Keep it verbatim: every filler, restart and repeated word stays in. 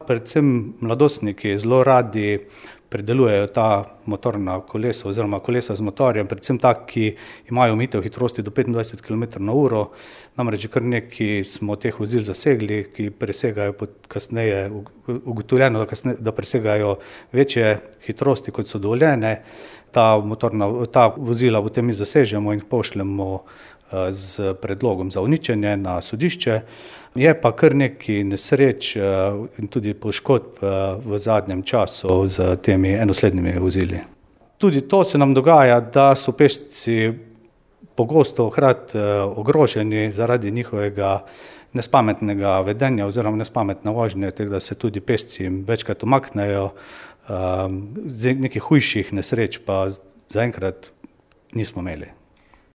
Predvsem mladostniki zelo radi predelujejo ta motorna kolesa oziroma kolesa z motorjem, predvsem tak, ki imajo omejitev hitrosti do petindvajset kilometrov na uro. Namreč kar nekaj smo teh vozil zasegli, ki presegajo kasneje, ugotovljeno, da presegajo večje hitrosti, kot so dovoljene. Ta motorna, ta vozila potem mi zasežemo in pošljemo z predlogom za uničenje na sodišče. Je pa kar nekaj nesreč in tudi poškodb v zadnjem času z temi enoslednimi vozili. Tudi to se nam dogaja, da so pešci pogosto hkrati ogroženi zaradi njihovega nespametnega vedenja oziroma nespametne vožnje, tako da se tudi pešci večkrat umaknejo. Nekih hujših nesreč pa zaenkrat nismo imeli.